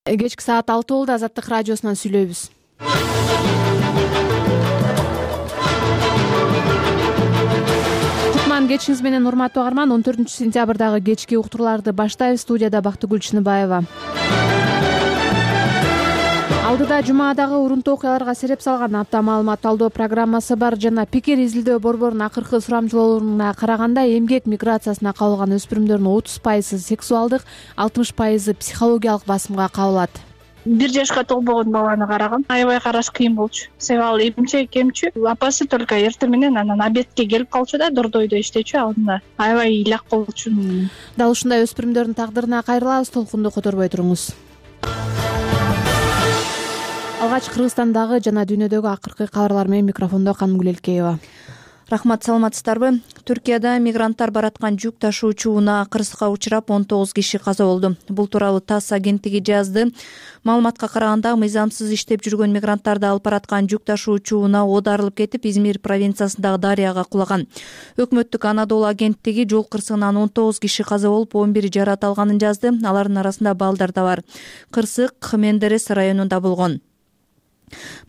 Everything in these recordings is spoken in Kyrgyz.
Кечки саат 6 болду. Азаттык радиосунан сүйлөйбүз. Кутман кечиңиз менен, урматтуу угарман. 14-сентябрдагы кечки уктурууларды баштайбыз. Студияда Бактыгүл Чыныбаева. Алдыда жумадагы урунтуу окуяларга сереп салган апта маалымат талдоо программасы бар жана пикир изилдөө борборунун акыркы сурамжылоолоруна караганда эмгек миграциясына кабылган өспүрүмдөрдүн 30% сексуалдык, 60% психологиялык басымга кабылат. 1 жашка толбогон баланы карагам. Аябай караш кыйын болчу. Себеби ал эмчек эмчү. Апасы только эртең менен анан обедке келип калчу да, дордойдо иштечү. Алдында аябай ыйлак болчу. Дал ушундай өспүрүмдөрдүн тагдырына кайрылабыз. Толкунду которбой туруңуз. Алгач Кыргызстандагы жана дүйнөдөгү акыркы кабарлар менен микрофондо Канымгүл Элкеева. Рахмат, саламатсыздарбы? Түркияда мигранттар бараткан жүк ташуучу унаа кырсыкка учурап 19 киши каза болду. Бул тууралуу ТАСС агенттиги жазды. Маалыматка караганда, мыйзамсыз иштеп жүргөн мигранттарды алып бараткан жүк ташуучу унаа оодарылып кетип, Измир провинциясындагы дарыяга кулаган. Өкмөттүк Анадолу агенттиги жол кырсыгынан 19 киши каза болуп, 11 жаракат алганын жазды. Алардын арасында балдар да бар. Кырсык Мендерес районунда болгон.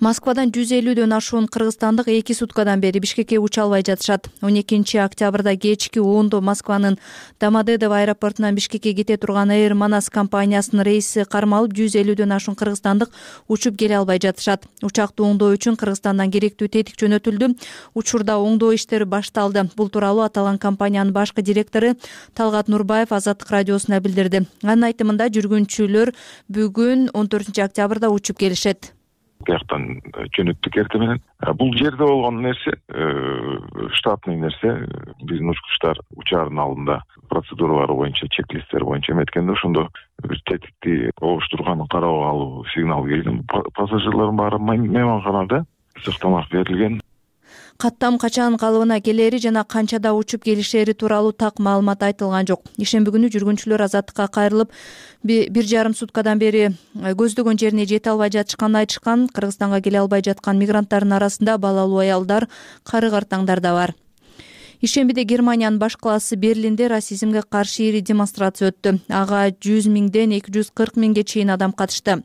Москвадан 150дөн ашуун кыргызстандык 2 суткадан бери Бишкекке уча албай жатышат. 12 октябрда кечки 10 Москванын Домодедово аэропортунан Бишкекке кете турган Air Manas компаниясынын рейси кармалып, 150дөн ашуун кыргызстандык учуп келе албай жатышат. Учакты оңдоо үчүн Кыргызстандан керектүү тетик жөнөтүлдү. Учурда оңдоо иштери башталды. Бул тууралуу аталган компаниянын башкы директору Талгат Нурбаев Азаттык радиосуна билдирди. Анын айтымында, жүргүнчүлөр бүгүн 14 октябрда учуп келишет. Бияктан жөнөттүк эртең менен. Бул жерде болгон нерсе штатный нерсе. Биздин учкучтар учаардын алдында процедуралары боюнча, чек-листтер боюнча эметкенде ошондо бир тетикти оңоштурганын карап алуу сигнал келген. Пассажирлардын баары мейманканада сыктамак берилген. Каттам качан калыбына келери жана канчада учуп келишери тууралуу так маалымат айтылган жок. Ишемби күнү жүргүнчүлөр азаттыкка кайрылып, 1,5 суткадан бери көздөгөн жерине жете албай жатышканын айтышкан. Кыргызстанга келе албай жаткан мигранттардын арасында балалуу аялдар, кары-картаңдар да бар. Ишембиде Германиянын баш калаасы Берлинде расизмге каршы ири демонстрация өттү. Ага 100 миңден 240 миңге чейин адам катышты.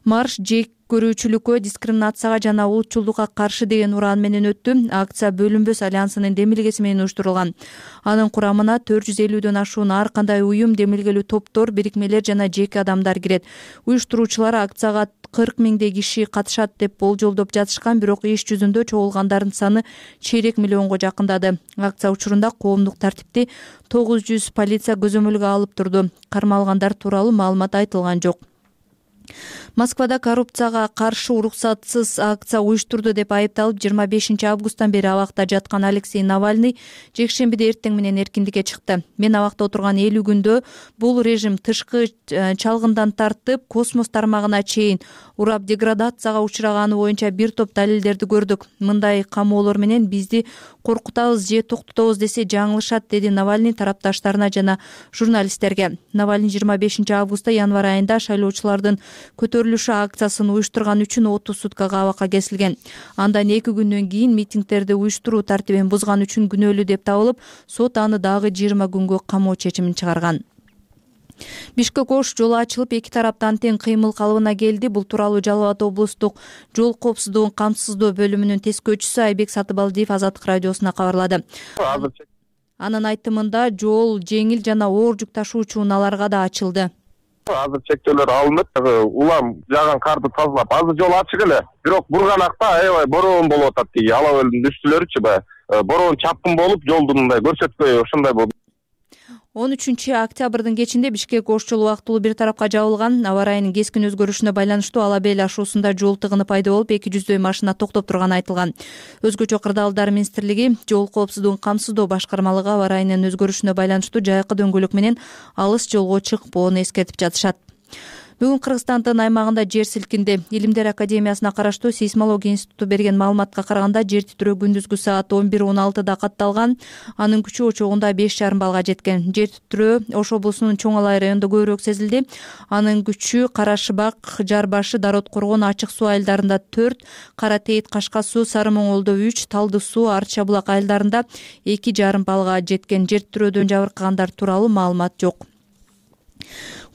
Марш жек көрүүчүлүккө, дискриминацияга жана улутчулдукка каршы деген ураан менен өттү. Акция Бөлүнбөс альянсынын демилгеси менен уюштурулган. Анын курамына 450дөн ашуун ар кандай уюм, демилгелүү топтор, бирикмелер жана жеке адамдар кирет. Уюштуруучулар акцияга 40 миңдей киши катышат деп болжолдоп жатышкан, бирок иш жүзүндө чогулгандардын саны чейрек миллионго жакындады. Акция учурунда коомдук тартипти 900 полиция көзөмөлгө алып турду. Кармалгандар тууралуу маалымат айтылган жок. Москвада коррупцияга каршы уруксатсыз акция уюштурду деп айыпталып, 25 августтан бери абакта жаткан Алексей Навальный жекшембиде эртең менен эркиндикке чыкты. Мен абакта отурган 50 күндө бул режим тышкы чалгындан тартып, космос тармагына чейин урап деградацияга учураганы боюнча бир топ далилдерди көрдүк. Мындай камоолор менен бизди коркутабыз же токтотобуз десе жаңылышат, деди Навальный тарапташтарына жана журналисттерге. Навальный 25 августта январь айында шайлоочулардын көтөрүлүшү акциясын уюштурган үчүн 30 суткага абакка кесилген. Андан 2 күндөн кийин митингдерди уюштуруу тартибин бузган үчүн күнөөлүү деп табылып, сот аны дагы 20 күнгө камоо чечимин чыгарган. Бишкек-Ош жолу ачылып, эки тараптан тең кыймыл калыбына келди. Бул тууралуу Жалал Абад облустук жол коопсуздугун камсыздоо бөлүмүнүн тескөөчүсү Айбек Сатыбалдиев Азаттык радиосуна кабарлады. Анын айтымында, жол жеңил жана оор жүк ташуучу унааларга да ачылды. Азыр чектөөлөр алынып, улам жаган карды тазалап, азыр жол ачык эле. Бирок бурганакта аябай бороон болуп атат. Ала өлдүн үстүлөрүчү бороон чапкын болуп, жолдун мындай көрсөткөй ошондой болду. 13 октябрдын кечинде Бишкек-Ош жолу убактылуу бир тарапка жабылган. Аба ырайынын кескин өзгөрүшүнө байланыштуу Ала Бел ашуусунда жол тыгыны пайда болуп, 200дөй машина токтоп турганы айтылган. Өзгөчө кырдаалдар министрлиги жол коопсуздугун камсыздоо башкармалыгы аба ырайынын өзгөрүшүнө байланыштуу жайкы дөңгөлөк менен алыс жолго чыкпоону эскертип жатышат. Бүгүн Кыргызстандын аймагында жер силкинди. Илимдер академиясына караштуу сейсмология институту берген маалыматка караганда, жер титирөө күндүзгү саат 11:16 катталган. Анын күчү очогунда 5,5 баллга жеткен. Жер титирөө Ош облусунун Чоң Алай районунда көбүрөөк сезилди. Анын күчү Карашыбак, Жарбашы, Дарот Коргон, Ачык суу айылдарында 4, Кара Тейит, Кашка суу, Сары Моңолдо 3, Талды суу, Арча булак айылдарында 2,5 баллга жеткен. Жер титирөөдөн жабыркагандар тууралуу маалымат жок.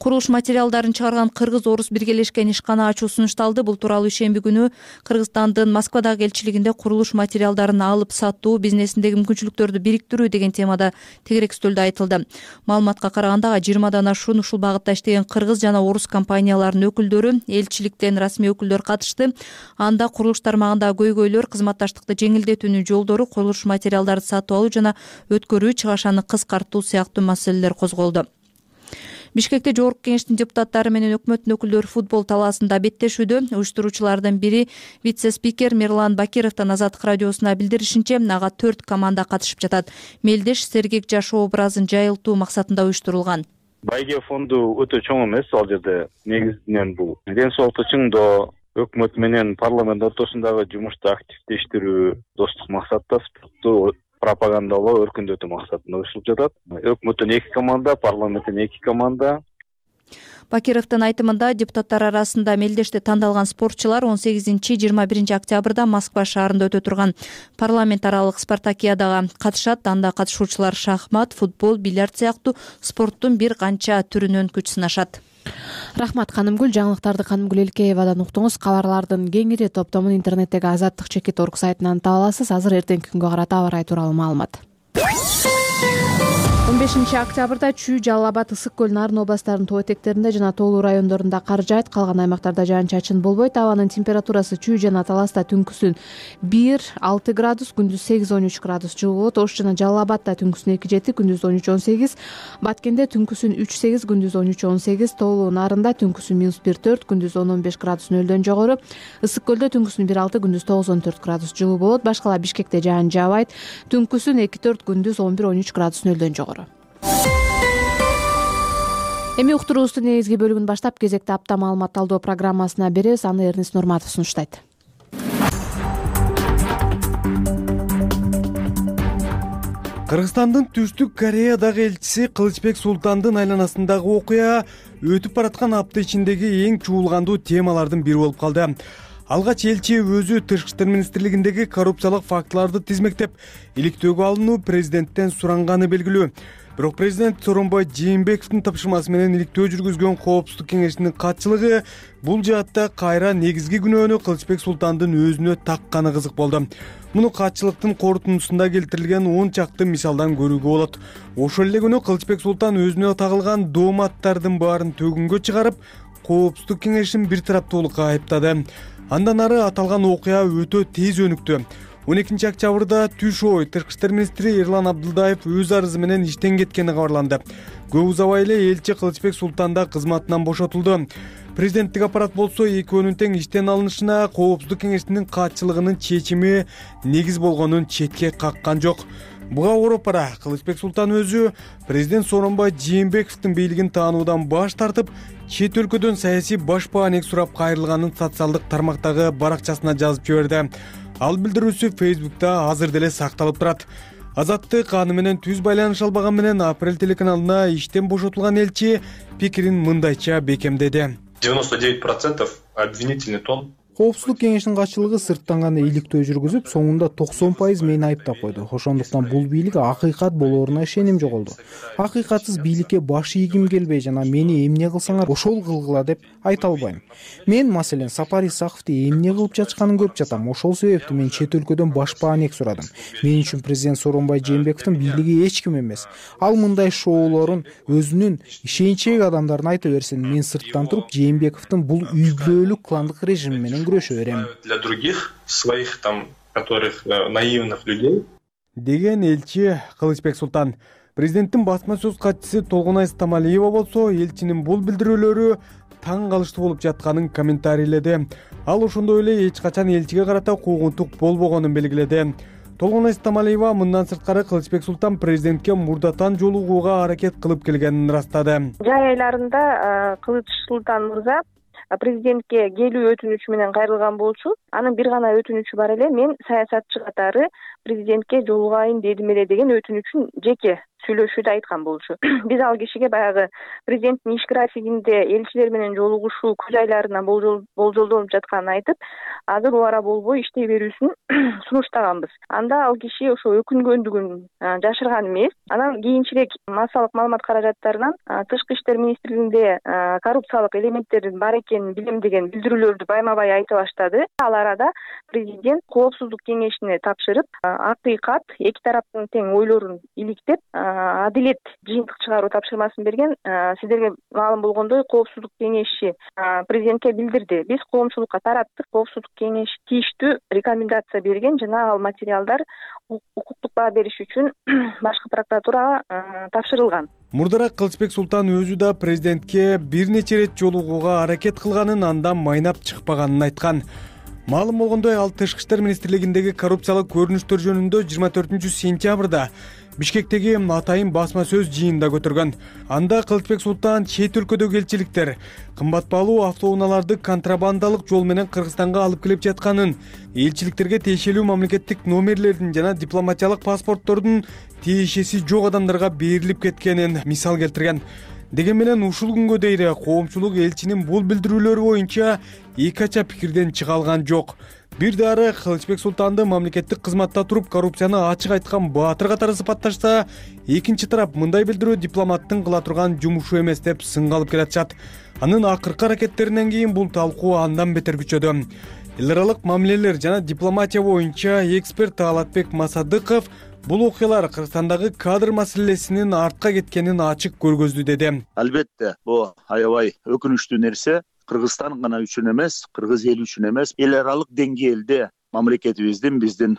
Курулуш материалдарын чыгарган кыргыз-орус биргелешкен ишкана ачуу сунушталды. Бул тууралуу ишемби күнү Кыргызстандын Москвадагы элчилигинде курулуш материалдарын алып сатуу бизнесиндеги мүмкүнчүлүктөрдү бириктирүү деген темада тегерек стөлдө айтылды. Маалыматка караганда 20 ашуун ушул багытта иштеген кыргыз жана орус компанияларынын өкүлдөрү, элчиликтен расмий өкүлдөр катышты. Анда курулуш тармагындагы көйгөйлөр, кызматташтыкты жеңилдетүүнүн жолдору, курулуш материалдарды сатып алуу жана өткөрүү, чыгашаны кыскартуу сыяктуу маселелер козголду. Бишкекте Жогорку Кеңештин депутаттары менен өкмөттүн өкүлдөрү футбол талаасында беттешүүдө. Уюштуруучулардын бири вице-спикер Мирлан Бакировдун Азаттык радиосуна билдиришинче, ага 4 команда катышып жатат. Мелдеш сергек жаш образын жайылтуу максатында уюштурулган. Байге фонду өтө чоң эмес, ал жерде негизинен бул ден соолукту чыңдоо, өкмөт менен парламент ортосундагы жумушту активдештирүү, достук максатта спортту пропагандалоо, өркүндөтүү максатында уюштурулуп жатат. Өкмөттөн 2 команда, парламенттен 2 команда. Бакировдун айтымында депутаттар арасында мелдеште тандалган спортчулар 18-21 октябрда Москва шаарында өтө турган парламент аралык спартакиадага катышат. Анда катышуучулар шахмат, футбол, бильярд сыяктуу спорттун бир канча түрүнөн күч сынашат. Рахмат Канымгүл. Жаңылыктарды Канымгүл Элкеевадан уктуңуз. Кабарлардын кеңири топтомун интернеттеги azattik.org сайтынан таба аласыз. Азыр эртеңки күнгө карата аба ырайы тууралуу маалымат. 15 октябрда Чүй, Жалал Абад, Ысык көл, Нарын областарынын тоо этектеринде жана тоолуу райондорунда кар жаайт. Калган аймактарда жаан-чачын болбойт. Абанын температурасы Чүй жана Таласта түнкүсүн 1-6 градус, күндүз 8-13 градус жылуу болот. Ош жана Жалал Абадда түнкүсүн 2-7, күндүз 13-18. Баткенде түнкүсүн 3-8, күндүз 13-18. Тоолуу Нарында түнкүсүн -1-4, күндүз 10-15 градус нөлдөн жогору. Ысык көлдө түнкүсүн 1-6, күндүз 9-14 градус жылуу болот. Башкала Бишкекте жаан жаабайт. Түнкүсүн 2-4, күндүз 11-13 градус нөлдөн жогору. Эми уктуруубуздун негизги бөлүгүн баштап кезекте апта маалымат талдоо программасына беребиз. Аны Эрнис Нурматов сунуштайт. Кыргызстандын Түштүк Кореядагы элчиси Кылычбек Султандын айланасындагы окуя өтүп бараткан апта ичиндеги эң чуулгандуу темалардын бири болуп калды. Алгач элчи өзү Тышкы иштер министрлигиндеги коррупциялык фактыларды тизмектеп, иликтөөгө алынуу президенттен суранганы белгилүү. Бирок президент Сооронбай Жээнбековдун тапшырмасы менен иликтөө жүргүзгөн Коопсуздук кеңешинин катчылыгы бул жаатта кайра негизги күнөөнү Кылычбек Султандын өзүнө такканы кызык болду. Муну катчылыктын корутундусунда келтирилген 10 чакты мисалдан көрүүгө болот. Ошол эле күнү Кылычбек Султан өзүнө тагылган дооматтардын баарын төгүнгө чыгарып, Коопсуздук кеңешин бир тараптуулукка айыптады. Андан ары аталган окуя өтө тез өнүктү. 12 октябрда түш ой Тышкы иштер министри Эрлан Абдылдаев өз арызы менен иштен кеткени кабарланды. Көп узабай эле элчи Кылычбек Султан да кызматынан бошотулду. Президенттик аппарат болсо экөөнүн тең иштен алынышына Коопсуздук кеңешинин катчылыгынын чечими негиз болгонун четке каккан жок. Буга ороп бара Кылычбек Султан өзү президент Сооронбай Жээнбековдун бийлигин таануудан баш тартып, чет өлкөдөн саясий баш баанек сурап кайрылганын социалдык тармактагы баракчасына жазып жиберди. Ал билдирүүсү Facebook'та азыр деле сакталып турат. Азаттык аны менен түз байланыш албаган менен Апрель телеканалына иштен бошотулган элчи пикирин мындайча бекемдеди. 99% обвинительный тон. Коопсуздук кеңешинин катчылыгы сырттан гана иликтөө жүргүзүп, соңунда 90% мени айыптап койду. Ошондуктан бул бийлик акыйкат болооруна ишеним жоголду. Акыйкатсыз бийликке баш ийгим келбей жана мени эмне кылсаңар ошол кылгыла деп айта албайм. Мен маселен Сапар Исаковду эмне кылып жатышканын көрүп жатам. Ошол себептүү мен чет өлкөдөн баш баанек сурадым. Мен үчүн президент Сооронбай Жээнбековдун бийлиги эч ким эмес. Ал мындай шоулорун өзүнүн ишеничтеги адамдарына айта берсин. Мен сырттан туруп Жээнбековдун бул үй бүлөлүк кландык режими менен күрөшө берем. Для других своих там, которых наивных людей. Деген элчи Кылычбек Султан. Президенттин басма сөз катчысы Толгонай Стамалиева болсо элчинин бул билдирүүлөрү таң калыштуу болуп жатканын комментарийледи. Ал ошондой эле эч качан элчиге карата куугунтук болбогонун белгиледи. Толгонай Стамалиева мындан сырткары Кылычбек Султан президентке мурдатан жолугууга аракет кылып келгенин ырастады. Жай айларында Кылыч Султан мырза президентке келүү өтүнүчү менен кайрылган болчу. Анын бир гана өтүнүчү бар эле, мен саясатчы катары президентке жолугайын дедим эле деген өтүнүчүн жеке сүйлөшүүдө айткан болчу. Биз ал кишиге баягы президенттин иш графигинде элчилер менен жолугушуу күз айларына болжолдолуп жатканын айтып, азыр убара болбой иштей берүүсүн сунуштаганбыз. Анда ал киши ошо өкүнгөндүгүн жашырган эмес. Анан кийинчерээк массалык маалымат каражаттарынан Тышкы иштер министрлигинде коррупциялык элементтердин бар экенин билем деген билдирүүлөрдү байма-бай айта баштады. Ал арада президент Коопсуздук кеңешине тапшырып, акыйкат эки тараптын тең ойлорун иликтеп, адилет жыйынтык чыгаруу тапшырмасын берген. Сиздерге маалым болгондой, Коопсуздук кеңеши президентке билдирди. Биз коомчулукка тараттык. Коопсуздук кеңеши тийиштүү рекомендация берген жана ал материалдар укуктук баа бериш үчүн башкы прокуратурага тапшырылган. Мурдараак Кылычбек Султан өзү да президентке бир нече ирет жолугууга аракет кылганын, андан майнап чыкпаганын айткан. Маалым болгондой, ал Тышкы иштер министрлигиндеги коррупциялык көрүнүштөр жөнүндө 24-сентябрда Бишкектеги атайын басма сөз жыйынында көтөргөн. Анда Кылычбек Султан чет өлкөдөгү элчиликтер кымбат баалуу автоунааларды контрабандалык жол менен Кыргызстанга алып келип жатканын, элчиликтерге тиешелүү мамлекеттик номерлердин жана дипломатиялык паспорттордун тиешеси жок адамдарга берилип кеткенин мисал келтирген. Деген менен ушул күнгө дейин коомчулук элчинин бул билдирүүлөрү боюнча эки ача пикирден чыга алган жок. Бир дары Кылычбек Султанды мамлекеттик кызматта туруп коррупцияны ачык айткан баатыр катары сыпатташса, экинчи тарап мындай билдирүү дипломаттын кыла турган жумушу эмес деп сынга алып келатышат. Анын акыркы аракеттеринен кийин бул талкуу андан бетер күчөдү. Эл аралык мамилелер жана дипломатия боюнча эксперт Алатбек Масадыков бул окуялар Кыргызстандагы кадр маселесинин артка кеткенин ачык көргөздү деди. Албетте, бул аябай өкүнүчтүү нерсе. Кыргызстан гана үчүн эмес, кыргыз эли үчүн эмес, эл аралык деңгээлде мамлекетибиздин, биздин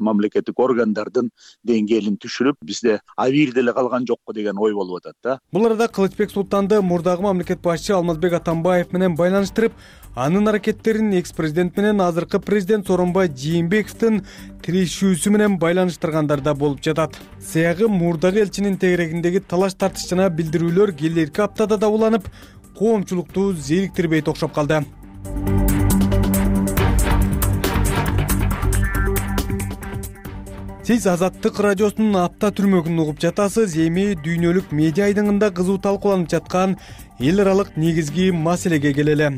мамлекеттик органдардын деңгээлин түшүрүп, бизде авир деле калган жокко деген ой болуп атат да. Бул арада Кылычбек Султанды мурдагы мамлекет башчы Алмазбек Атамбаев менен байланыштырып, анын аракеттерин экс-президент менен азыркы президент Сооронбай Жээнбековдун тирешүүсү менен байланыштыргандар да болуп жатат. Сыягы мурдагы элчинин тегерегиндеги талаш тартыш жана билдирүүлөр келерки аптада да уланып, коомчулукту зериктирбейт окшоп калды. Сиз Азаттык радиосунун апта түрмөгүн угуп жатасыз. Эми дүйнөлүк медиа айдыңында кызуу талкууланып жаткан эл аралык негизги маселеге келели.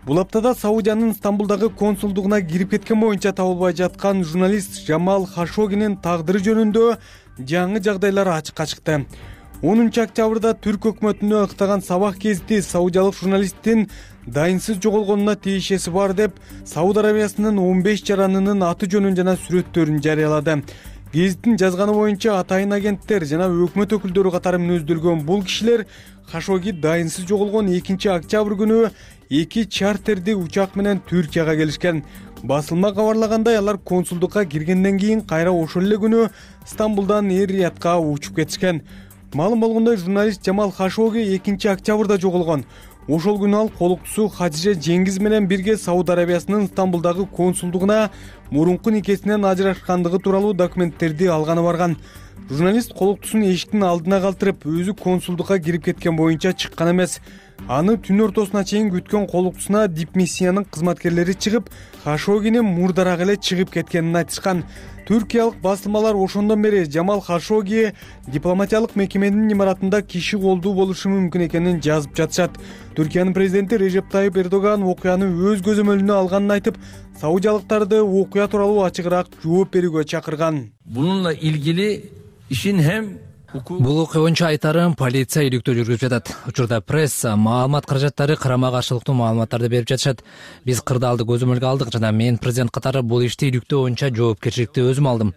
Бул аптада Саудиянын Стамбулдагы консулдугуна кирип кеткен боюнча табылбай жаткан журналист Жамал Хашогинин тагдыры жөнүндө жаңы жагдайлар ачыкка чыкты. 10-октябрда Түрк өкмөтүнө ыктаган Сабах гезити саудиялык журналисттин дайынсыз жоголгонуна тиешеси бар деп Сауд Арабиясынын 15 жаранынын аты жөнүн жана сүрөттөрүн жарыялады. Гезиттин жазганы боюнча атайын агенттер жана өкмөт өкүлдөрү катары мүнөздөлгөн бул кишилер Хашоги дайынсыз жоголгон 2-октябрь күнү 2 чартерди учак менен Түркияга келишкен. Басылма кабарлагандай, алар консулдукка киргенден кийин кайра ошол эле күнү Стамбулдан Эр-Риядка учуп кетишкен. Маалым болгондой, журналист Жамал Хашоги 2-октябрда жоголгон. Ошол күнү ал колуктусу Хадижа Жеңгиз менен бирге Сауд Арабиясынын Стамбулдагы консулдугуна мурунку никесинен ажырашкандыгы тууралуу документтерди алганы барган. Журналист колуктусун эшиктин алдына калтырып, өзү консулдукка кирип кеткен боюнча чыккан эмес. Аны түн ортосуна чейин күткөн колуктусуна дипмиссиянын кызматкерлери чыгып, Хашогини мурдараак эле чыгып кеткенин айтышкан. Түркиялык басылмалар ошондон бери Жамал Хашоги дипломатиялык мекеменин имаратында киши колдуу болушу мүмкүн экенин жазып жатышат. Түркиянын президенти Режеп Тайып Эрдоган окуяны өз көзөмөлүнө алганын айтып, саудиялыктарды окуя тууралуу ачыгыраак жооп берүүгө чакырган. Bununla ilgili işin hem Бул окуя боюнча айтарым, полиция иликтөө жүргүзүп жатат. Учурда пресса, маалымат каражаттары карама каршылыктуу маалыматтарды берип жатышат. Биз кырдаалды көзөмөлгө алдык жана мен президент катары бул ишти иликтөө боюнча жоопкерчиликти өзүм алдым.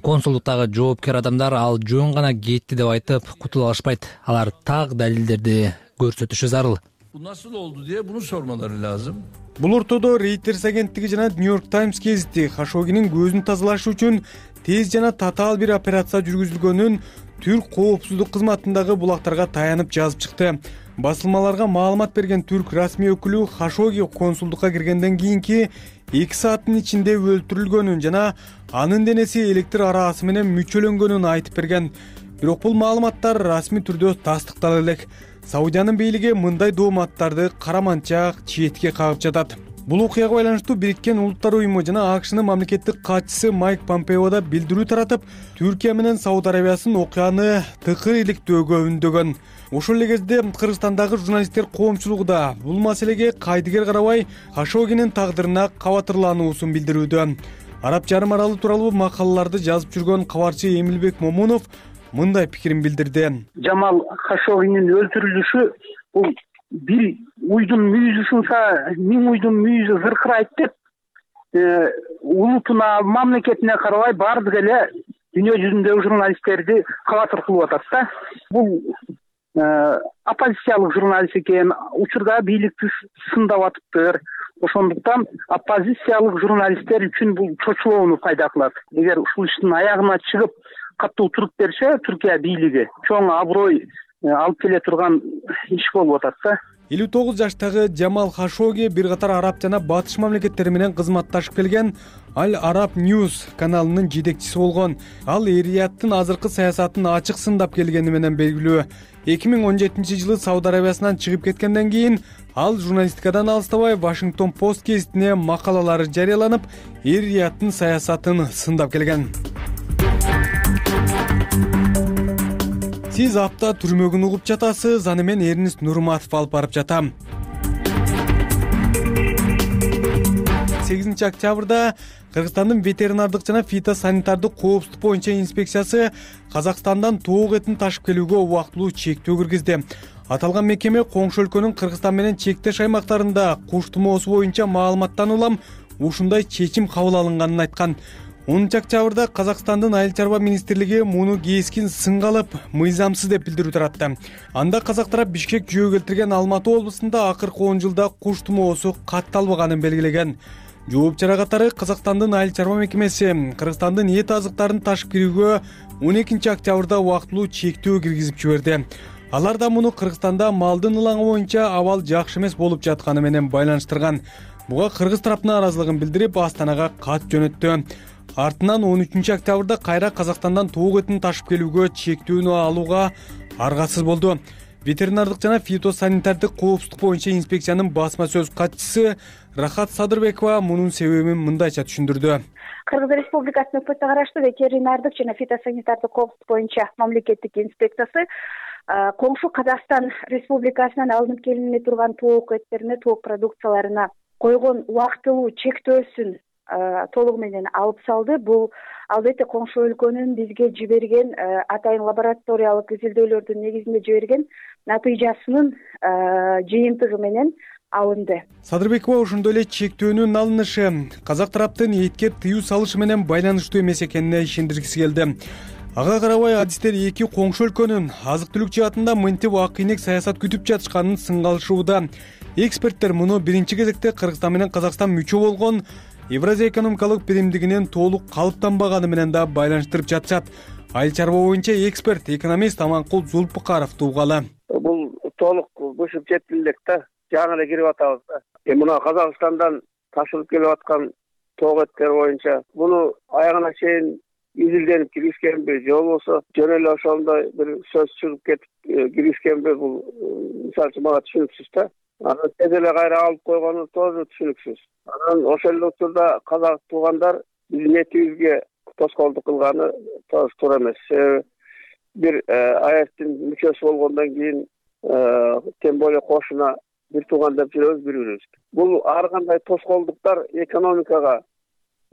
Консулдуктагы жоопкер адамдар ал жөн гана кетти деп айтып кутула алышпайт. Алар так далилдерди көрсөтүшү зарыл. Bu nasıl oldu diye bunu sormaları lazım. Бул ортодо Reuters агенттиги жана New York Times гезити Хашогинин көзүн тазалаш үчүн тез жана татаал бир операция жүргүзүлгөнүн Түрк коопсуздук кызматындагы булактарга таянып жазып чыкты. Басылмаларга маалымат берген түрк расмий өкүлү Хашоги консулдукка киргенден кийинки 2 сааттын ичинде өлтүрүлгөнүн жана анын денеси электр араасы менен мүчөлөнгөнүн айтып берген. Бирок бул маалыматтар расмий түрдө тастыктала элек. Саудиянын бийлиги мындай дооматтарды караманча четке кагып жатат. Бул окуяга байланыштуу Бириккен Улуттар уюму жана АКШнын мамлекеттик катчысы Майк Помпео да билдирүү таратып, Түркия менен Сауд Арабиясын окуяны тыкыр иликтөөгө үндөгөн. Ошол эле кезде Кыргызстандагы журналисттер коомчулугу да бул маселеге кайдыгер карабай Хашогинин тагдырына кабатырлануусун билдирүүдө. Араб жарым аралы тууралуу макалаларды жазып жүргөн кабарчы Эмилбек Момунов мындай пикирин билдирди. Жамал Хашогинин өлтүрүлүшү бул бир уйдун мүйүзү сынса, миң уйдун мүйүзү зыркырайт деп, улутуна, мамлекетине карабай баардык эле дүйнө жүзүндөгү журналисттерди кабатыр кылып атат да. Бул оппозициялык журналист экен, учурда бийликти сындап атыптыр. Ошондуктан оппозициялык журналисттер үчүн бул чочулоону пайда кылат. Эгер ушул иштин аягына чыгып катуу туруп берсе, Түркия бийлиги чоң аброй алып келе турган иш болуп атат да. 59 жаштагы Жамал Хашоги бир катар араб жана батыш мамлекеттери менен кызматташып келген Al Arab News каналынын жетекчиси болгон. Ал Эр-Рияттын азыркы саясатын ачык сындап келгени менен белгилүү. 2017-жылы Сауд Арабиясынан чыгып кеткенден кийин ал журналистикадан алыстабай Washington Post гезитине макалалары жарыяланып, Эр-Рияттын саясатын сындап келген. Сиз апта түрмөгүн угуп жатасыз, аны мен Эрнист Нурматов алып барып жатам. 8 октябрда Кыргызстандын ветеринардык жана фитосанитардык коопсуздук боюнча инспекциясы Казакстандан тоок этин ташып келүүгө убактылуу чектөө киргизди. Аталган мекеме коңшу өлкөнүн Кыргызстан менен чектеш аймактарында куш тумоосу боюнча маалыматтан улам ушундай чечим кабыл алынганын айткан. 10 октябрда Казакстандын Айыл чарба министрлиги муну кескин сынга алып, мыйзамсыз деп билдирүү таратты. Анда казак тарап Бишкек жөө келтирген Алматы облусунда акыркы 10 жылда куш тумоосу катталбаганын белгилеген. Жооп чара катары Казакстандын Айыл чарба мекемеси Кыргызстандын эт азыктарын ташып кирүүгө 12 октябрда убактылуу чектөө киргизип жиберди. Алар да муну Кыргызстанда малдын ылаңы боюнча абал жакшы эмес болуп жатканы менен байланыштырган. Буга кыргыз тарапына ыраазылыгын билдирип, Астанага кат жөнөттү. Артынан 13 октябрда кайра Казакстандан тоок этин ташып келүүгө чектүүнү алууга аргасыз болду. Ветеринардык жана фитосанитардык коопсуздук боюнча инспекциянын басма сөз катчысы Рахат Садырбекова мунун себебин мындайча түшүндүрдү. Кыргыз Республикасынын өкмөтүнө караштуу ветеринардык жана фитосанитардык коопсуздук боюнча мамлекеттик инспекциясы коңшу Казакстан Республикасынан алынып келине турган тоок эттерине, тоок продукцияларына койгон убактылуу чектөөсүн толугу менен алып салды. Бул албетте коңшу өлкөнүн бизге жиберген атайын лабораториялык изилдөөлөрдүн негизинде жиберген натыйжасынын жыйынтыгы менен алынды. Садырбекова ошондой эле чектөөнүн алынышы казак тараптын этке тыюу салышы менен байланыштуу эмес экенине ишендиргиси келди. Ага карабай адистер эки коңшу өлкөнүн азык түлүк жаатында мынтип акыйнек саясат күтүп жатышканын сынгалышууда. Эксперттер муну биринчи кезекте Кыргызстан менен Казакстан мүчө болгон Евразия экономикалык биримдигинин толук калыптанбаганы менен да байланыштырып жатышат. Айыл чарба боюнча эксперт, экономист Аманкул Зулпукаровду угалы. Бул толук бушуп жетти элек да, жаңы эле кирип атабыз да. Мына Казакстандан ташылып келип аткан тоок эттер боюнча муну аягына чейин изилденип киргизгенби же болбосо жөн эле ошондой бир сөз чыгып кетип киргизгенби, бул мисалы үчүн мага түшүнүксүз да. Анан тез эле кайра алып койгону тоже түшүнүксүз. Анан ошол эле учурда казак туугандар биздин этибизге тоскоолдук кылганы тоже туура эмес. Бир АЭСтин мүчөсү болгондон кийин тем более кошуна бир тууган деп жүрөбүз бири-бирибизге. Бул ар кандай тоскоолдуктар экономикага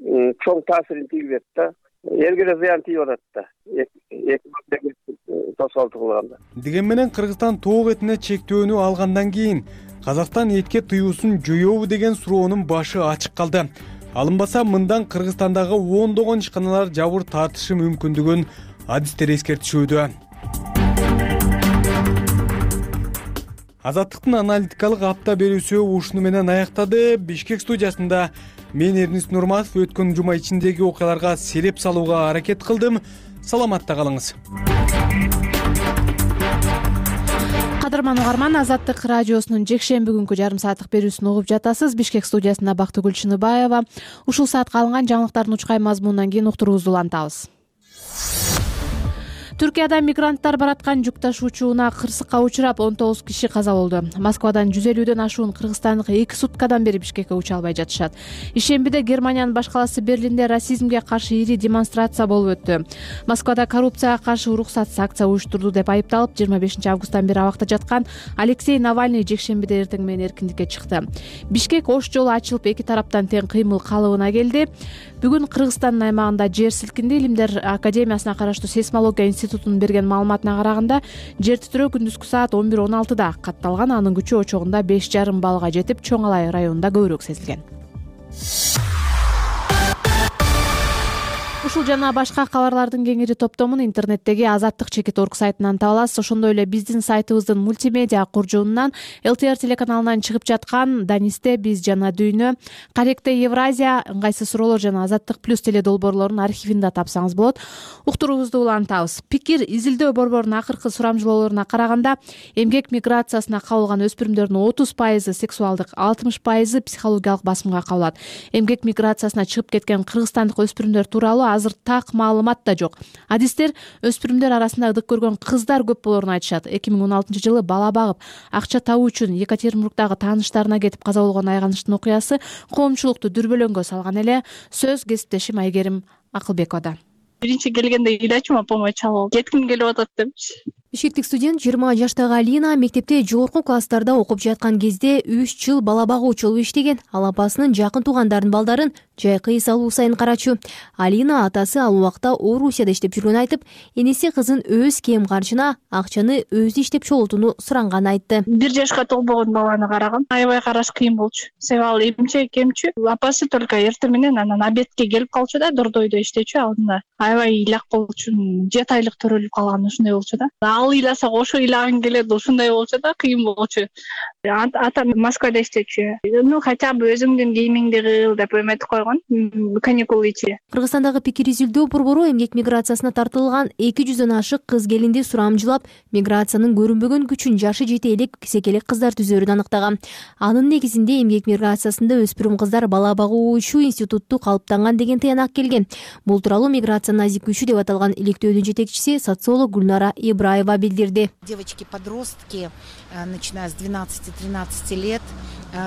чоң таасирин тийгизет да. Элге да зыян тийип атат да. Тоскоолдук кылганда. Деген менен Кыргызстан тоок этине чектөөнү алгандан кийин Казакстан этке тыюусун жоёбу деген суроонун башы ачык калды. Алынбаса мындан Кыргызстандагы ондогон ишканалар жабыр тартышы мүмкүндүгүн адистер эскертишүүдө. Азаттыктын аналитикалык апта берүүсү ушуну менен аяктады. Бишкек студиясында мен Эрнист Нурматов өткөн жума ичиндеги окуяларга сереп салууга аракет кылдым. Саламатта калыңыз. Кадырман угарман, Азаттык радиосунун жекшемби күнкү жарым сааттык берүүсүн угуп жатасыз. Бишкек студиясында Бактыгүл Чыныбаева. Ушул саатка алынган жаңылыктардын учкай мазмунунан кийин уктуруубузду улантабыз. Түркияда мигранттар бараткан жүк ташуучуна кырсыкка учурап 19 киши каза болду. Москвадан 150дөн ашуун кыргызстандык 2 суткадан бери Бишкекке уча албай жатышат. Ишембиде Германиянын баш калаасы Берлинде расизмге каршы ири демонстрация болуп өттү. Москвада коррупцияга каршы уруксатсыз акция уюштурду деп айыпталып 25 августтан бери абакта жаткан Алексей Навальный жекшембиде эртең менен эркиндикке чыкты. Бишкек ош жолу ачылып эки тараптан тең кыймыл калыбына келди. Бүгүн Кыргызстандын аймагында жер силкинди. Илимдер академиясына караштуу сейсмология институтунун берген маалыматына караганда, жер титирөө күндүзгү саат 11:16 катталган. Анын күчү очогунда 5,5 баллга жетип, Чоң Алай районунда көбүрөөк сезилген. Ушул жана башка кабарлардын кеңири топтомун интернеттеги Азаттык.org сайтынан таба аласыз. Ошондой эле биздин сайтыбыздын мультимедиа куржунунан ЛТР телеканалынан чыгып жаткан Данисте биз жана дүйнө, Каректе Евразия, ыңгайсыз суроолор жана Азаттык плюс теледолбоорлорунун архивинде тапсаңыз болот. Уктуруубузду улантабыз. Пикир изилдөө борборунун акыркы сурамжылоолоруна караганда, эмгек миграциясына кабылган өспүрүмдөрдүн 30% сексуалдык, 60% психологиялык басымга кабылат. Эмгек миграциясына чыгып кеткен кыргызстандык өспүрүмдөр тууралуу азыр так маалымат да жок. Адистер өспүрүмдөр арасында ыдык көргөн кыздар көп болоорун айтышат. 2016-жылы бала багып, акча табуу үчүн Екатеринбургдагы тааныштарына кетип каза болгон Айганыштын окуясы коомчулукту дүрбөлөңгө салган эле. Сөз кесиптешим Айгерим Акылбековада. Биринчи келгенде илачыма помощь алып, кетким келип атат депчи. Бишкектик студент 20 жаштагы Алина мектепте жогорку класстарда окуп жаткан кезде 3 жыл бала багуучу болуп иштеген. Ал апасынын жакын туугандарынын балдарын жайкы эс алуу сайын карачу. Алина атасы ал убакта Орусияда иштеп жүргөнүн айтып, энеси кызын өз кем каржына акчаны өзү иштеп чогултууну суранганын айтты. 1 жашка толбогон баланы карагам. Аябай караш кыйын болчу. Себеби эмчек кемчү. Апасы только эртең менен анан обедке келип калчу да, дордойдо иштечү алдында. Аябай ыйлак болчу. 7 айлык төрөлүп калган ушундай болчу да. Ал ыйласа ошо ыйлагың келет, ушундай болчу да, кыйын болчу. Атам Москвада иштечү. Хотя бы өзүңдүн кийимиңди кыл деп эметип койгон. Каникул ичи. Кыргызстандагы пикир изилдөө борбору эмгек миграциясына тартылган 200дөн ашык кыз келинди сурамжылап, миграциянын көрүнбөгөн күчүн жашы жете элек кисекелек кыздар түзөрүн аныктаган. Анын негизинде эмгек миграциясында өспүрүм кыздар бала багуучу институтту калыптанган деген тыянак келген. Бул тууралуу миграция назик күчү деп аталган иликтөөнүн жетекчиси социолог Гүлнара Ибраева билдирди. Девочки-подростки, начиная с 12-13 лет,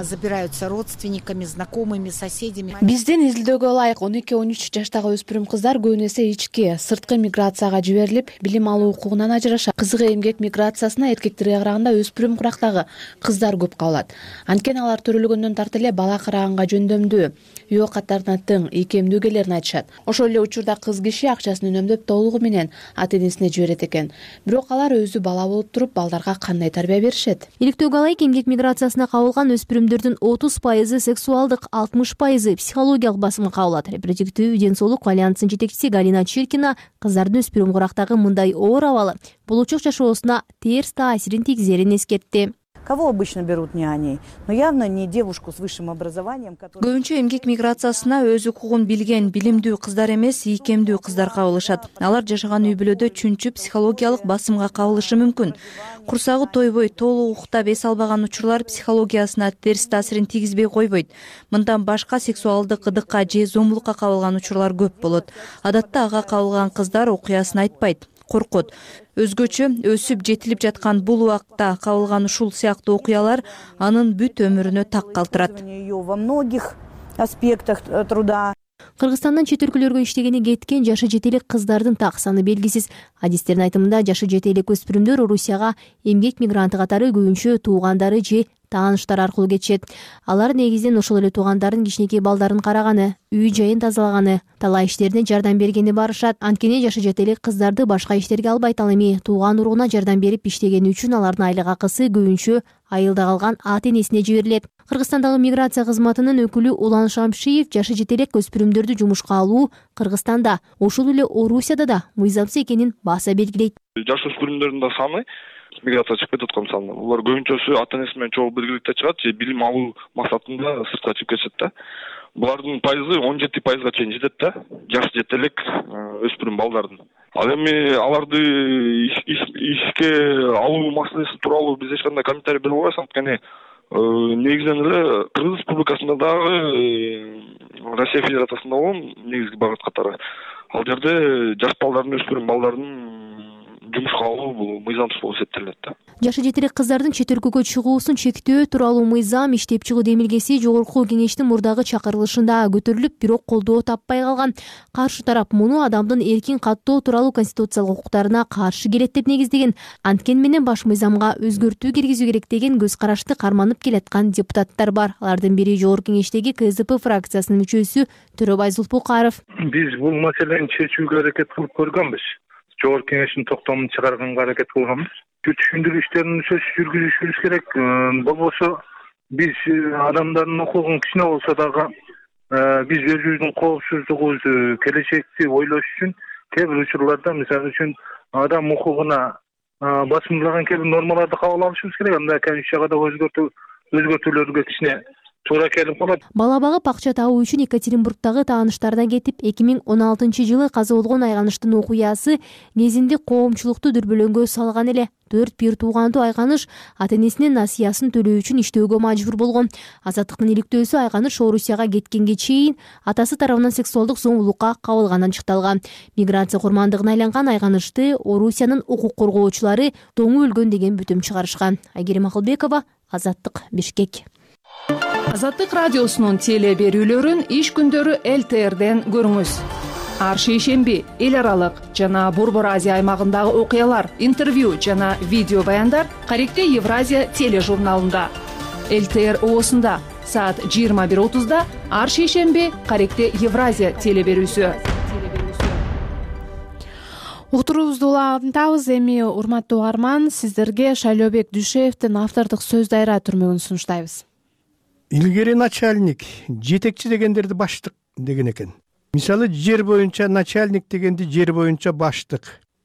забираются родственниками, знакомыми, соседями. Биздин изилдөөгө ылайык 12-13 жаштагы өспүрүм кыздар көбүн эсе ички, сырткы миграцияга жиберилип, билим алуу укугунан ажырашат. Кызыгы эмгек миграциясына эркектерге караганда өспүрүм курактагы кыздар көп кабылат. Анткени алар төрөлгөндөн тарты эле бала караганга жөндөмдүү, үй оокаттарына тың, ийкемдүү келерин айтышат. Ошол эле учурда кыз киши акчасын үнөмдөп толугу менен ата-энесине жиберет экен. Бирок алар өзү бала болуп туруп, балдарга кандай тарбия беришет? Иликтөөгө ылайык эмгек миграциясына кабылган өспүрүмдөрдүн 30% сексуалдык, 60% психологиялык басымга кабылат. Репродуктивдүү ден соолук альянсынын жетекчиси Галина Чиркина кыздардын өспүрүм курактагы мындай оор абалы болочок жашоосуна терс таасирин тийгизерин эскертти. Кого обычно берут няней? Но явно не девушку с высшим образованием, которая... Көбүнчө эмгек миграциясына өз укугун билген, билимдүү кыздар эмес, ийкемдүү кыздар кабылышат. Алар жашаган үй бүлөдө чүнчү психологиялык басымга кабылышы мүмкүн. Курсагы тойбой, толук уктап эс албаган учурлар психологиясына терс таасирин тийгизбей койбойт. Мындан башка сексуалдык ыдыкка же зомбулукка кабылган учурлар көп болот. Адатта ага кабылган кыздар окуясын айтпайт, коркот. Өзгөчө өсүп жетилип жаткан бул убакта кабылган ушул сыяктуу окуялар анын бүт өмүрүнө так калтырат. Во многих аспектах труда. Кыргызстандын чет өлкөлөргө иштегени кеткен жашы жете элек кыздардын так саны белгисиз. Адистердин айтымында жашы жете элек өспүрүмдөр Орусияга эмгек мигранты катары көбүнчө туугандары же тааныштар аркылуу кетишет. Алар негизинен ошол эле туугандардын кичинекей балдарын караганы, үй жайын тазалаганы, талаа иштерине жардам бергени барышат. Анткени жашы жете элек кыздарды башка иштерге албайт. Ал эми тууган уругуна жардам берип иштегени үчүн алардын айлык акысы көбүнчө айылда калган ата-энесине жиберилет. Кыргызстандагы миграция кызматынын өкүлү Улан Шамшиев жашы жете элек өспүрүмдөрдү жумушка алуу Кыргызстанда, ошол эле Орусияда да мыйзамсыз экенин баса белгилейт. Жаш өспүрүмдөрдүн да саны миграция чыгып кетип аткан саны. Булар көбүнчөсү ата-энеси менен чогуу биргеликте чыгат же билим алуу максатында сыртка чыгып кетишет да. Булардын пайызы 17%га чейин жетет да. Жашы жете элек өспүрүм балдардын. Ал эми аларды ишке алуу маселеси тууралуу биз эч кандай комментарий бере албайбыз, анткени негизинен эле Кыргыз Республикасында дагы Россия Федерациясында болгон негизги багыт катары ал жерде жаш балдардын, өспүрүм балдардын жумушка алуу бул мыйзамсыз болуп эсептелинет да. Жашы жетелек кыздардын чет өлкөгө чыгуусун чектөө тууралуу мыйзам иштеп чыгуу демилгеси жогорку кеңештин мурдагы чакырылышында көтөрүлүп, бирок колдоо таппай калган. Каршы тарап муну адамдын эркин каттоо тууралуу конституциялык укуктарына каршы келет деп негиздеген. Анткени менен баш мыйзамга өзгөртүү киргизүү керек деген көз карашты карманып келаткан депутаттар бар. Алардын бири жогорку кеңештеги КСДП фракциясынын мүчөсү Төрөбай Зулпукаров. Биз бул маселени чечүүгө аракет кылып көргөнбүз. Жогорку кеңештин токтомун чыгарганга аракет кылганбыз. Түшүндүрүү иштерин жүргүзүшүбүз керек. Болбосо биз адамдардын укугун кичине болсо дагы биз өзүбүздүн коопсуздугубузду, келечекти ойлош үчүн кээ бир учурларда, мисалы үчүн, адам укугуна басымдаган кээ бир нормаларды кабыл алышыбыз керек. Анда Конституцияга да өзгөртүүлөргө кичине туура келип калат. Бала багып акча табуу үчүн Екатеринбургдагы тааныштардан кетип, 2016-жылы каза болгон Айганыштын окуясы кезинде коомчулукту дүрбөлөңгө салган эле. 4 бир туугандуу Айганыш ата-энесинин насыясын төлөө үчүн иштөөгө мажбур болгон. Азаттыктын иликтөөсү Айганыш Орусияга кеткенге чейин атасы тарабынан сексуалдык зомбулукка кабылганын ачыкталган. Миграция курмандыгына айланган Айганышты Орусиянын укук коргоочулары тоңу өлгөн деген бүтүм чыгарышкан. Айгерим Акылбекова, Азаттык, Бишкек. Азаттык радиосунун теле берүүлөрүн иш күндөрү ЛТРден көрүңүз. Ар шейшемби эл аралык жана Борбор Азия аймагындагы окуялар, интервью жана видео баяндар Каректе Евразия тележурналында. ЛТР ООсунда саат 21:30 ар шейшемби Каректе Евразия теле берүүсү. Уктуруубузду улантабыз. Эми урматтуу угарман, сиздерге Шайлообек Дүйшеевдин автордук сөз дайра түрмөгүн сунуштайбыз. Илгери начальник, жетекчи дегендерди баштык деген экен. Мисалы, жер боюнча начальник дегенди жер боюнча баштык,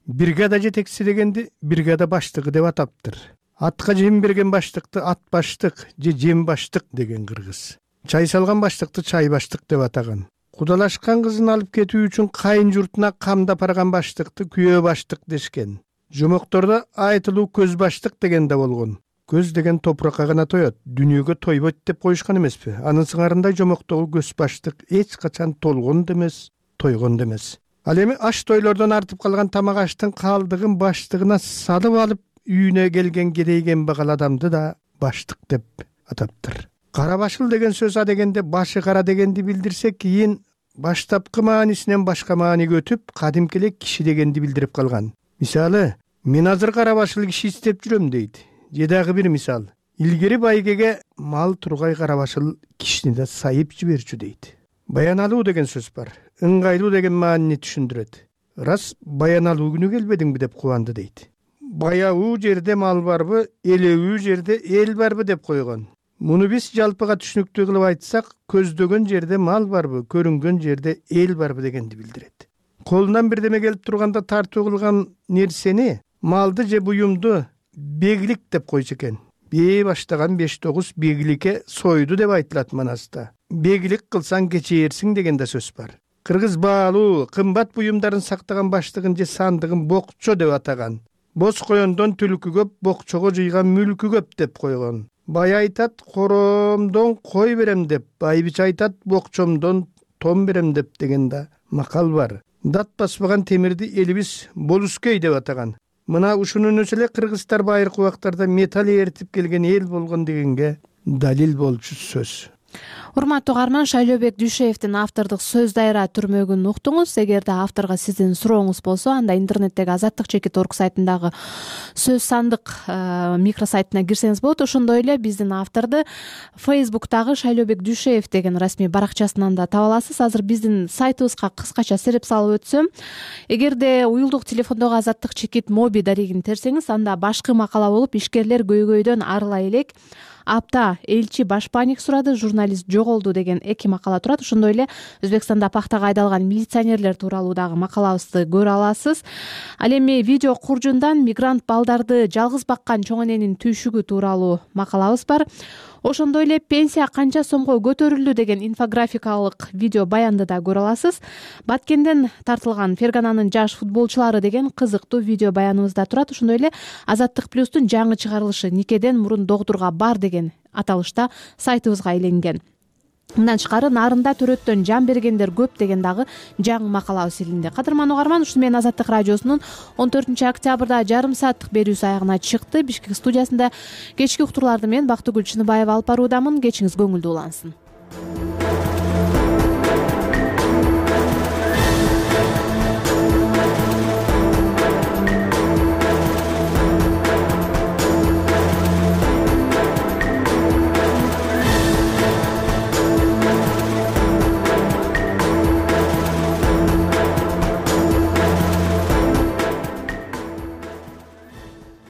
бригада жетекчиси дегенди бригада баштыгы деп атаптыр. Атка жем берген баштыкты ат баштык же жем баштык деген кыргыз. Чай салган баштыкты чай баштык деп атаган. Кудалашкан кызын алып кетүү үчүн кайын журтуна камдап барган баштыкты күйөө баштык дешкен. Жомоктордо айтылуу көз баштык деген да болгон. Көз деген топуракка гана тоет, дүнүйөгө тойбойт деп коюшкан эмеспи? Анын сыңарында жомоктогу көз баштык эч качан толгон да эмес, тойгон да эмес. Ал эми аш тойлордон артып калган тамак аштын калдыгын баштыгына салып алып үйүнө келген керейген багал адамды да баштык деп атаптыр. Кара башыл деген сөз а дегенде башы кара дегенди билдирсе, кийин баштапкы маанисинен башка мааниге өтүп, кадимки эле киши дегенди билдирип калган. Мисалы, мен азыр кара башыл киши издеп жүрөм дейт. Же дагы бир мисал, илгери байгеге мал тургай кара башыл кишини да сайып жиберчү дейт. Баяналуу деген сөз бар. Ыңгайлуу деген маанини түшүндүрөт. Рас баяналуу күнү келбедиңби деп кубанды дейт. Баяуу жерде мал барбы, элебүү жерде эл барбы деп койгон. Муну биз жалпыга түшүнүктүү кылып айтсак, көздөгөн жерде мал барбы, көрүнгөн жерде эл барбы дегенди билдирет. Колунан бирдеме келип турганда тартуу кылган нерсени, малды же буюмду беглик деп койчу экен. Бээ баштаган 5-9 бегликке сойду деп айтылат манаста. Беглик кылсаң кечээрсиң деген да сөз бар. Кыргыз баалуу, кымбат буюмдарын сактаган баштыгын же сандыгын бокчо деп атаган. Боз коёндон түлкү көп, бокчого жыйган мүлкү көп деп койгон. Бай айтат, коромдон кой берем деп, байбич айтат, бокчомдон том берем деп деген да макал бар. Дат баспаган темирди элибиз болускөй деп атаган. Мына ушунун өзү эле кыргыздар байыркы убактарда металл эритип келген эл болгон дегенге далил болчу сөз. Урматтуу угарман, Шайлообек Дүйшеевдин автордук сөз дайра түрмөгүн уктуңуз. Эгерде авторго сиздин сурооңуз болсо, анда интернеттеги azattik.org сайтындагы сөз сандык микросайтына кирсеңиз болот. Ошондой эле биздин авторду Facebook'тагы Шайлообек Дүйшеев деген расмий баракчасынан да таба аласыз. Азыр биздин сайтыбызга кыскача сереп салып өтсөм, эгерде уюлдук телефондогу Азаттык чекит моби дарегин терсеңиз, анда башкы макала болуп, ишкерлер көйгөйдөн арыла элек, апта элчи башпаник сурады, журналист жоголду деген 2 макала турат. Ошондой эле Өзбекстанда пактага айдалган милиционерлер тууралуу дагы макалабызды көрө аласыз. Ал эми видео куржундан мигрант балдарды жалгыз баккан чоң эненин түйшүгү тууралуу макалабыз бар. Ошондой эле пенсия канча сомго көтөрүлдү деген инфографикалык видео баянды да көрө аласыз. Баткенден тартылган Фергананын жаш футболчулары деген кызыктуу видео баяныбыз да турат. Ошондой эле Азаттык плюстун жаңы чыгарылышы Никеден мурун докторго бар деген аталышта сайтыбызга айленген. Мындан тышкары нарында төрөттөн жан бергендер көп деген дагы жаңы макалабыз илинди. Кадырман угарман, ушуну менен Азаттык радиосунун 14 октябрда жарым сааттык берүүсү аягына чыкты. Бишкек студиясында кечки уктурларды мен Бактыгүл Чыныбаева алып баруудамын. Кечиңиз көңүлдүү улансын.